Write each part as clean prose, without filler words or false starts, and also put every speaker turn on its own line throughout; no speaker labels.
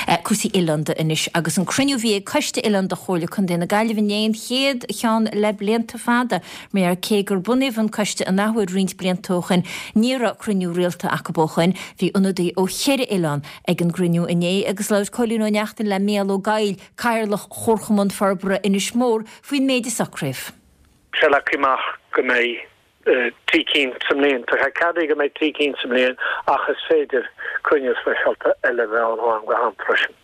Cúrsaí oileánda anois agus an cruinniú a bhí ag Coiste Oileánda Chomhairle Contae na Gaillimhe inné, an chéad cheann le blianta fada, mar cé gur bunaíodh an coiste an athuair roinnt blianta ó shoin, ní raibh cruinniú rialta acu ó shoin. Bhí ionadaí ó cheithre oileán ag an gcruinniú inné agus labhair Cóilín Ó Neachtain le Mícheál Ó Gabhaill, Cathaoirleach Chomharchumann Forbartha Inis Mór, faoin méid a socraíodh.
Sé leagtha amach go mbeidh 3 cinn sa mbliain. Tá sé ceadaithe go mbeidh 3 cinn sa mbliain ach is féidir cruinniú speisialta eile a bheith ann ó am go ham freisin.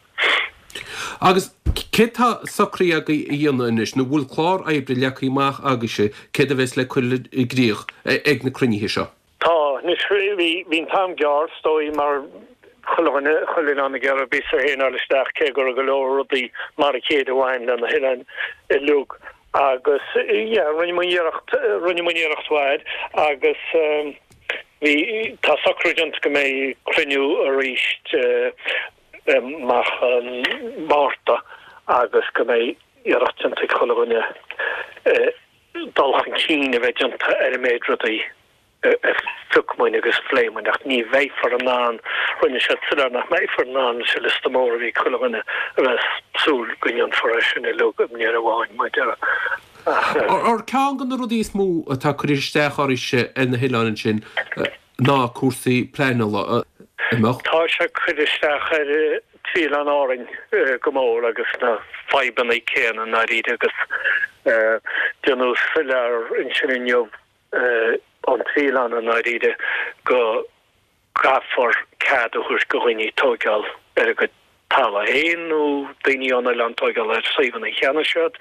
Agus céard tá socraithe agaibh a dhéanamh anois, nó bhfuil clár oibre leagtha amach agaibhse céard a bheas le cur i gcrích ag na cruinnithe seo?
Tá. Anois, bhí an t-am gearr, is dóigh, mar chuile dhuine, chuile oileán ag iarraidh a bpíosa féin a fháil isteach, cé go raibh go leor rudaí mar a chéile a bhain le na hoileáin uilig. Agus, yeah, rinne muid iarracht, rinne muid iarracht mhaith agus bhí, tá socrú déanta go mbeidh cruinniú arís amach an Márta agus go mbeidh iarracht déanta ag chuile dhuine dul chun cinn a bheith déanta ar an méid rudaí a phioc muid agus a phléigh muid ach ní bheifear in ann, rinne siad soiléir nach mbeifear in ann leis an liosta mór a bhí ag chuile dhuine a bheith ag súil go ndéanfar é sin uilig i mbliain amháin mar a déarfá.
Ar ceann de na rudaí is mó atá ag cur isteach oraibhse ar na hoileáin ansin ná cúrsaí pleanála, an mbeadh?
Tá sé ag cur isteach ar thrí oileán Árainn go mór agus na fadhbanna céanna i ndáiríre agus déanadh soiléir ansin inniu ón trí oileán i ndáiríre go gcaithfear cead a thabhairt go dhaoine tóigeáil ar a gcuid talamh féin nó daoine ón oileán tóigeáil ar suíomhanna a cheannaigh siad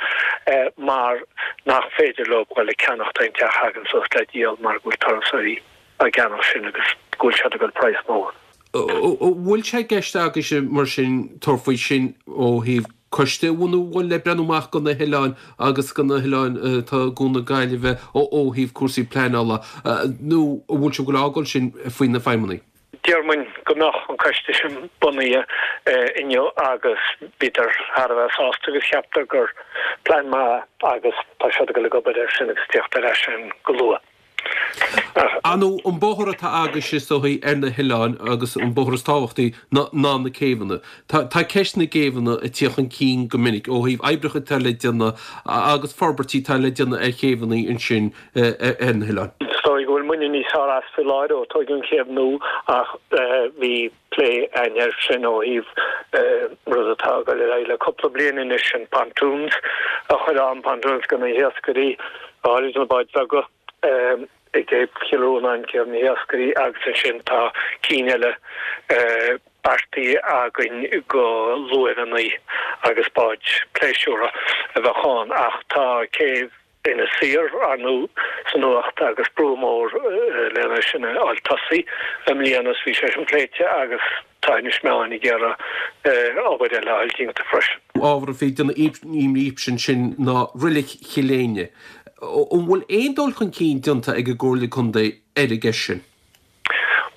mar nach féidir leo dul ag ceannacht aon teach a thagann suas le díol mar go bhfuil turasóirí á gceannach sin agus go bhfuil siad ag dul
praghas mór. An bhfuil sé i gceist agaibhse mar sin tabhairt faoi sin ó thaobh coiste a bhunú a bhfuil le breathnú amach go na hoileáin agus go na hoileáin atá i gCuan na Gaillimhe ó thaobh cúrsaí pleanála nó an bhfuil sibh ag fágáil sin faoi na feidhmeannaigh?
Deir muid go mbeadh an coiste sin bunaithe inniu agus bhíodar thar a bheith sásta agus cheapadar gur plean maith agus tá siad ag dul ag obair air sin agus tíocht ar ais sin go luath.
Ar ndóigh, an bóthar atá agaibhse is dóichí ar na hoileáin agus an bóthar is tábhachtaí ná na céibheanna. Tá ceist na gcéibheanna ag tíocht chun cinn go minic ó thaobh oibreacha atá le déanamh agus forbairtí atá le déanamh ar chéibheanna ansin ar na hoileáin.
Is dóigh go bhfuil muidne níos fearr as faoi láthair ó tóigeadh an chéibh nua ach bhí plé againn air sin ó thaobh rud atá ag dul ar aghaidh le cúpla bliain anois, sin pontoons a chur ann, pontoons go na hiascairí, go háirid na báid bheaga i gcéibh Chill Rónáin, céibh na hiascairí agus ansin tá cinn eile beartaithe againn go luaimheanna agus báid pléisiúrtha a bheadh ann ach tá céibh Inis Oírr, ar ndóigh, sa nuacht agus brú mór lena sin a fháil tosaithe i mbliana is bhí sé sin pléite agus tá Inis Meáin ag iarraidh obair eile a fháil déanta freisin.
Ábhar a bhí ag déanamh imní daoibhse ansin ná Reilig Chill Éinne. An bhfuil aon dul chun cinn déanta ag an gComhairle Contae ar an gceist sin?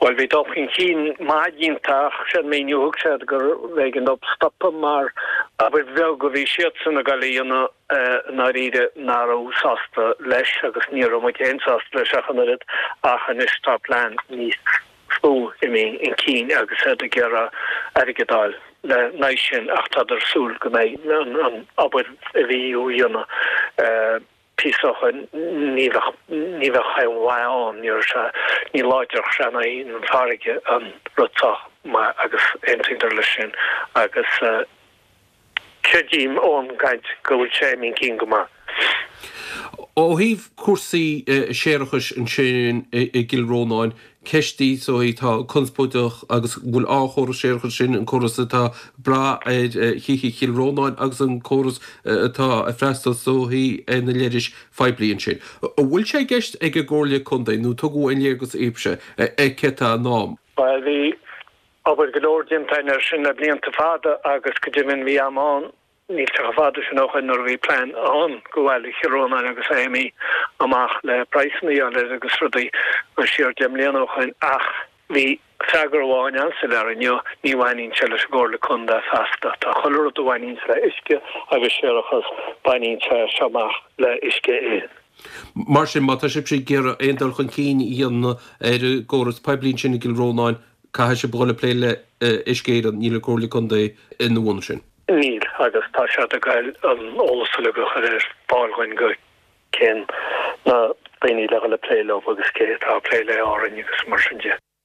Bhuel, bhí dul chun cinn maith déanta ach sé an míniú a thug siad gur b'éigean dóibh stopadh mar obair bheag a bhí siadsan ag dul a dhéanamh i ndáiríre nach raibh sásta leis agus ní raibh muid féin sásta leis ach an oiread ach anois tá plean níos mó imithe chun cinn agus iad ag iarraidh airgead a fháil le n-aghaidh sin ach tádar ag súil go mbeidh an obair a bhí á dhéanamh píosa ó shoin, ní bheadh, ní bheadh aon mhaith ann, ní raibh sé, ní láidreodh sé in aghaidh an farraige an rud sách maith agus aontaíodar leis sin agus creidim ón gcaint go bhfuil sé imithe chun cinn go maith.
Ó thaobh cúrsaí séarachais ansin i gCill Rónáin, Ceist í so atá conspóideach agus an bhfuil an córas séarachais sin, an córas atá ag brath ar thithe Chill Rónáin agus an córas atá ag freastal is dóichí ar na leithris phoiblí ansin. An bhfuil sé i gceist ag an gComhairle Contae nó tugadh aon léargas daoibhse ar céard atá i ndán?
Bhuel, bhí obair go leor déanta againn air sin le blianta fada agus go deimhin bhí am ann Níl sé chomh fada sin ó shoin nuair a bhí plean ann do bhaile Chill Rónáin agus é imithe amach le praghsanna a fháil air agus rudaí siar 10 mbliana ó shoin ach bhí freagra amháin an-soiléir inniu, ní bhaineann sé leis an gComhairle Contae feasta. Tá chuile rud a bhaineanns le uisce agus séarachas, baineann sé seo amach le Uisce Éireann.
Mar sin, má tá sibhse ag iarraidh aon dul chun cinn a dhéanamh ar an gcóras poiblí ansin i gCill Rónáin, Caithfidh sibh a dhul ag plé le Uisce Éireann, níl an Comhairle Contae ina bhun sin.
Níl, agus tá siad ag goil an eolas uilig a chur ar fáil dhuinn go cén na daoine le dhul ag plé leo agus cé atá ag plé le Árainn agus mar sin de.